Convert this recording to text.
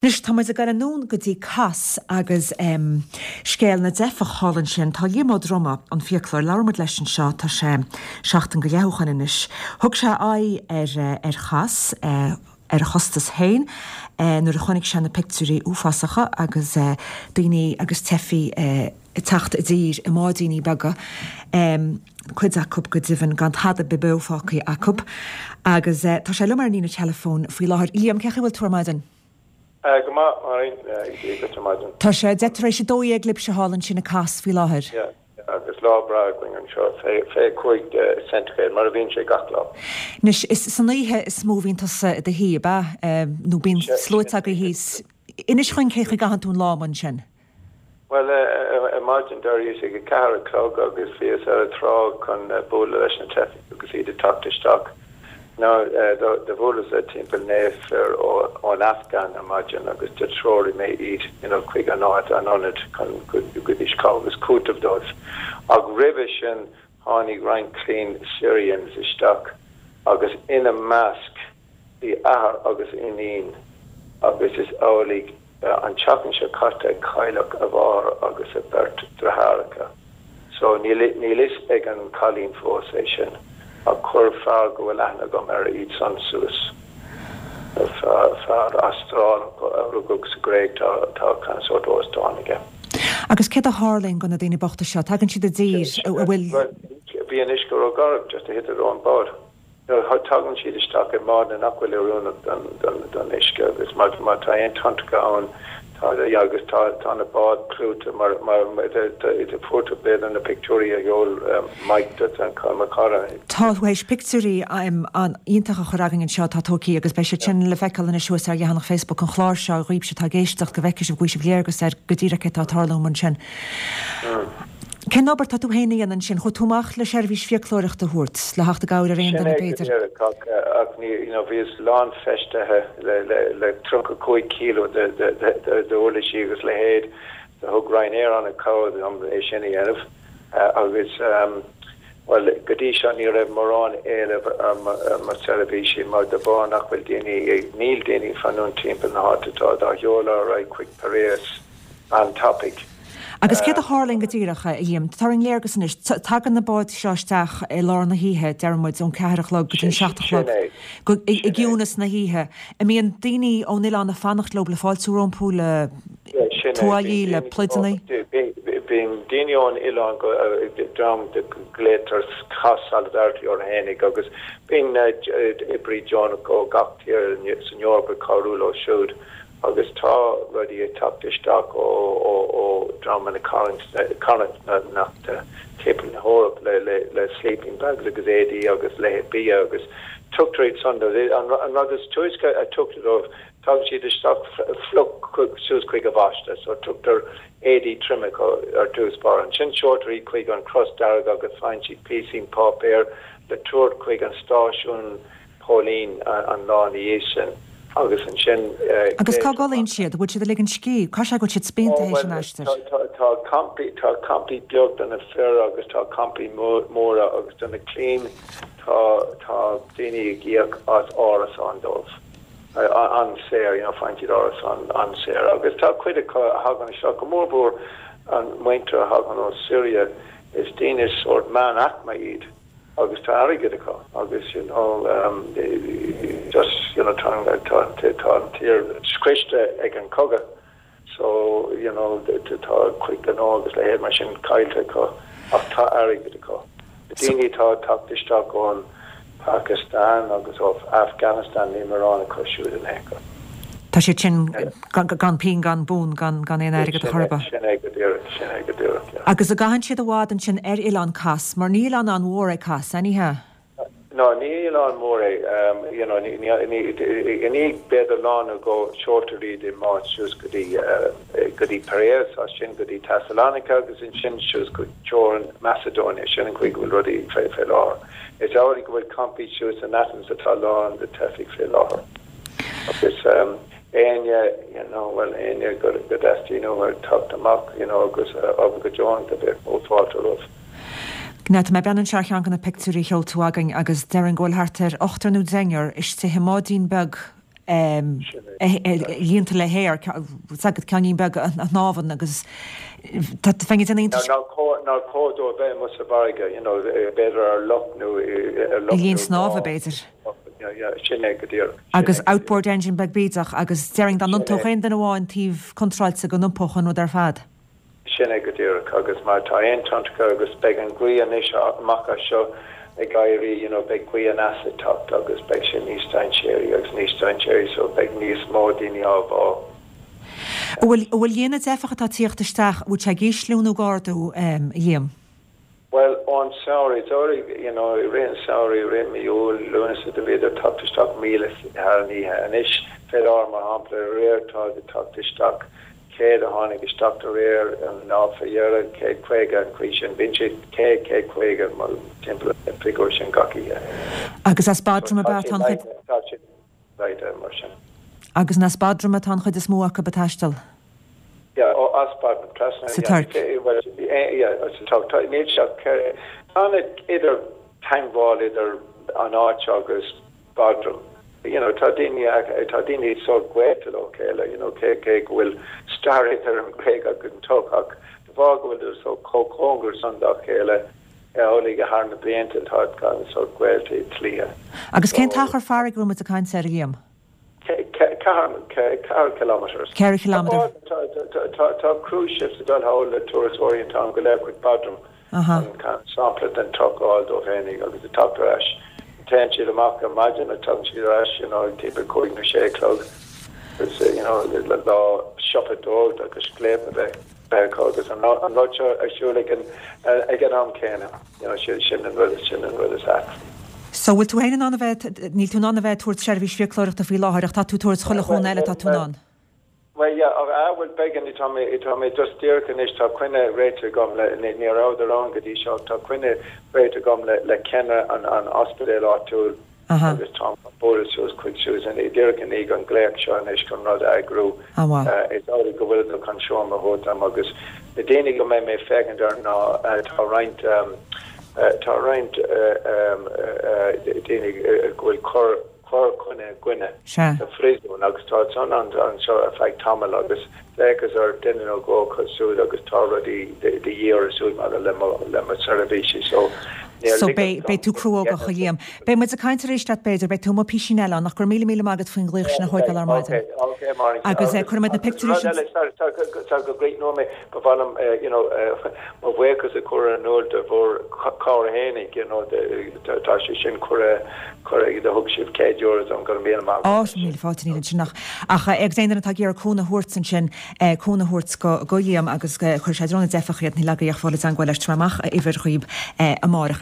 Anois tá muid ag dul anonn go dtí Cos agus scéal na dteifeach thall ansin. Tá Liam Ó Droma, an fiaclóir, labhair muid leis anseo, tá sé seachtain go leith ó shoin anois. Thug sé aghaidh ar ar Chos ar a chostas féin nuair a chonaic sé na pictiúirí uafásacha agus daoine agus teifigh ag teacht i dtír i mbáidíní beaga. cuid acu go deimhin gan tada ar bith beo fágtha acu. Agus tá sé liom ar an líne teileafóin faoi láthair. Liam, cén chaoi a bhfuil tú ar maidin? Go maith, Máirín. Dia duit ar maidin. Tá sé 11:10 tar éis libhse thall ansin i Kos faoi láthair. Yeah, agus lá breá againn anseo, 25 ceintighréad, mar a bhíonn sé gach lá. Anois, is san oíche is mó a bhíonn tusa i do shuí, ab ea? Nó bíonn sluaite agaibh thíos. Inis dhúinn cén chaoi a gcaitheann tú an lá amuigh ansin. Bhuel, ar maidin d'éiríos ag a ceathair a chlog agus bhíos ar an trá chun bualadh leis na teifigh agus iad ag teacht isteach. Now, do bhuaileas le timpeall 9 fir ón Afghan ar maidin agus do threoraigh mé iad you know chuig an áit, an ionad chun go dtugaidís cabhair agus cúiteamh dóibh. Ach roimhe sin tháinig roinnt clainn Syrians isteach agus ina measc Bhí athair agus iníon agus is amhlaidh an tseachtain seo caite a cailleadh a mháthair agus a beirt deartháireacha. So níl níl fhios ag an cailín fós é sin ach chuir fear go bhfuil aithne agam air iad san suas. Fear fear Astrálach a rugadh sa Ghréig tá tá kind of sórt óstán aige. Agus céard a tharlaíonn go na daoine bochta seo? Tagann siad i dtír a bhfuil. Bhuel bhí an uisce ró-gharbh just a thit ón bád. Tagann siad isteach i mbádanna nach bhfuil oiriúnach don uisce agus má tá aon tonntacha ann tá agus tá na báid clúite mar fuair tú b'fhéidir na pictiúirí a sheol Mike duit mo chara. Tá tú théis pictiúirí an-iontach a chur againn anseo atá tógtha agus beidh siad sin le feiceáil anois thuas ar leathanach Facebook an chláir seo dhaoibhse atá ag éisteacht go bhfeicfidh sibh go bhfaighidh sibh léargas ar go díreach céard atá ag tarlú ansin. Cén obair tá tú féin a dhéanamh ansin? Chuaigh tú amach le seirbhís fiaclóireachta a thabhairt, le theacht i gcabhair ar aon duine b'fhéidir? Sin é go díreach, ach ní, you know, bhíos lánfheistithe le, le, le 35 kilo de, de, de, de, d'uirlisí agus leithéid. Do thug Ryanair an-chabhair dom é sin a dhéanamh. Agus, bhuel, go dtí seo ní raibh mórán éileamh ar mo, ar mo seirbhísí mar de bharr nach bhfuil daoine, níl daoine ag fanúint timpeall na háite, táid á sheoladh ar aghaidh chuig Piraeus an-tapaidh. Agus céard a tharlaíonn go díreach, a Liam? Tabhair dúinn léargas anois. Tagann na báid seo isteach i lár na hoíche, deir muid, ón ceathair a chlog go dtí an seacht a chlog, i gciúnas na hoíche. An mbíonn daoine ón oileán ag fanacht leo le fáiltiú rompu, le tuáillí, le pluideanna? Bíonn daoine ón oileán, dream a nglaotar Kos Solidarity orthu fhéinig, agus bíonn oibrí deonach ó gach tír san Eoraip ag cabhrú leo siúd. Agus tá rudaí ag teacht isteach ó dhreamanna carthanachta timpeall na hEorpa le sleeping bags agus éadaí agus leithéid bia agus tugtar iad san dóibh. An rud is túisce a tugtar dóibh, tagann siad isteach fliuch suas chuig an bháisteach so tugtar éadaí troime ar dtús báire. Ansin seoltar iad chuig an Chros Dearg agus faigheann siad píosín páipéir le tabhairt chuig an stáisiún póilín an lá ina dhiaidh sin agus ansin Agus cá gcodlaíonn siad? Bhfuil siad ag ligean scíth? Caithfidh sé go bhfuil siad spíonta théis an aistir. Tá campaí, tá campaí beag do na fir agus tá campaí móra agus do na clainn tá, tá daoine ag íoc as árasán dóibh. An-saor, you know, faigheann siad árasán an-saor agus tá cuid acu a thagann isteach, go mórmhór an muintir a thagann ó Syria, is daoine sórt meánaicme iad. agus tá airgead acu agus you know just you know tá tá tá an tír scriosta ag an cogadh so you know tá cuid gnó agus leithéid mar sin caillte acu ach tá airgead acu. Na daoine atá ag teacht isteach ón Pakistan agus ó Afghanistan níl mórán acu siúd in aon chor. Tá siad sin gan pingin gan punt gan gan aon airgead ar chor ar bith. Sin é go díreach, sin é go díreach, yeah. Agus an gcaitheann siad i bhfad ansin ar oileán Kos, mar ní oileán an-mhór é Kos, ní hea? No, ní oileán mór é, you know, ní, ní, ní, i ndiaidh b'fhéidir lá nó dhó seoltar iad i mbád suas go dtí, go dtí Piraeus, as sin go dtí Thessalonica agus ansin suas go teorainn Macedonia, sin an chaoi go bhfuil rudaí fé, fé láthair. Is amhlaidh go bhfuil campaí suas in Athens atá lán de teifigh fé láthair. Agus éinne, you know, bhuel, éinne go dteastaíonn uathu teacht amach, you know, agus obair go deonach, do bheadh mór fáilte roimh. Now, tá mé ag breathnú anseo ar cheann de na pictiúirí a sheol tú againn agus déarfainn go bhfuil thart ar ochtar nó deichniúr istigh i mbáidín beag. Líonta le haer, tá's agat ceainnín beag a shnámhann agus tá bheinn ag déanamh iontais. Nár chóir dó a bheith amuigh sa bhfarraige, you know, b'fhéidir ar loch nó ar loch nó linn snámha, b'fhéidir. Yeah, sin é go díreach. Agus outboard engine beag bídeach agus déarfainn dá n-iontódh aon duine amháin taobh contráilte go n-iompódh an rud ar fad. Sin é go díreach agus mar tá aon tonntracha agus beidh an ghaoth anois amach as seo ag éirí you know beidh gaoth aneas ag teacht agus beidh sé níos dainséaraí agus níos dainséaraí so beidh níos mó daoine á bhá. An bhfuil, an bhfuil líon na dteifeach atá ag tíocht isteach, an bhfuil sé ag ísliú nó ag ardú, a Liam? Bhuel, ón samhradh, d'éirigh, you know, i rith an samhraidh, i rith mí Iúil, Lúnasa, do bhíodar ag teacht isteach 1,000 thar an oíche. Anois, fé láthair, mar shampla, aréir táid ag teacht isteach, 100 a tháinig isteach aréir, an lá fé dheireadh, 150, an chaoi sin. Bíonn sé 100, 150, mar, timpeall an figiúr sin gach oíche. Agus as Bodrum ab ea atá an chuid. Tá sé laghdaithe mar sin. Agus an as Bodrum atá an chuid is mó acu ag taisteal? Yeah, ó as Bodrum, trasna, Sa Tuirc. bhuel, yeah, sa Tuirc. Tá, níl sé ach ceithre, tá an idir teangmháil idir an áit seo agus Bodrum. You know, tá daoine, tá daoine sórt gaolta leo chéile, you know, cé, cé go bhfuil stair idir an Ghréig agus an Tuirc ach de bharr go bhfuil sórt chomh cóngarach san dá chéile, uilig thar na blianta tá gan sórt gaolta i dlíthe. Agus cén t-achar farraige a bhfuil muid ag caint air, a Liam? 4 kilometres. 4 chileamadar. Tá cruise ships ag dul thall le turasóirí an t-am go léir chuig Bodrum chun sampla den Tuirc a fháil dóibh fhéinig agus ag teacht ar ais. Téann siad amach ar maidin agus tagann siad ar ais you know ag timpeall 5 nó 6 a chlog agus you know lá siopadóireacht agus scléip a bheith acu agus an rud seo ar siúl ag an am céanna. You know, sin an rud, sin an rud is ait. So, bhfuil tú féin in ann a bheith, níl tú in ann a bheith ag tabhairt seirbhís fiaclóireachta faoi láthair ach tá tú ag tabhairt chuile chúnamh eile atá tú in ann? Bhuel, yeah, ah, bhuel, beidh, tá mé, tá mé just díreach anois, tá coinne réitithe agam le, ní rabhadar ann go dtí seo, tá coinne réitithe agam le, le ceannaire an, an ospidéil áitiúil, agus táim chun bualadh suas chuig Susan díreach i ndiaidh an glaoch seo anois chun rud a eagrú. Is amhlaidh go bhfuileadar chun seomra a thabhairt dom agus na daoine go mbeidh mé ag féachaint orthu ná tá roinnt tá roinnt daoine go bhfuil cur cur coinne i gcoinne sa phríosún agus tá san anseo ar feadh tamaill agus d'fhéachas ar duine nó dhó acu siúd agus tá rudaí de dhíth orthu siúd maidir le mo le mo seirbhísí so níor So beidh, beidh tú cruógach, a Liam. Beidh muid ag caint arís leat b'fhéidir, beidh tú amuigh písín eile ann ach go raibh míle míle maith agat faoin ghlaoch sin a thóigeáil ar maidin. Ok, ok Máirín. Agus cuirfidh muid na Agus pictiúirí rud sin. eile, sorry, sorry, sorry go gcríochnóidh mé, ba mhaith liom you know mo bhuíochas a chur in iúl do bhur cabhair fhéinig, you know, tá sé sin curtha curtha do thug sibh €100 dom, go raibh míle maith agat. Á, míle fáilte, níl ansin ach, ach agus aon duine atá ag iarraidh cúnamh a thabhairt ansin, cúnamh a thabhairt go, go Liam agus cuirfidh sé i dtreo na dteifeach iad, níl agaibh ach fáil i dteangmháil leis, tabharfaidh mé amach a uimhir dhaoib amáireach.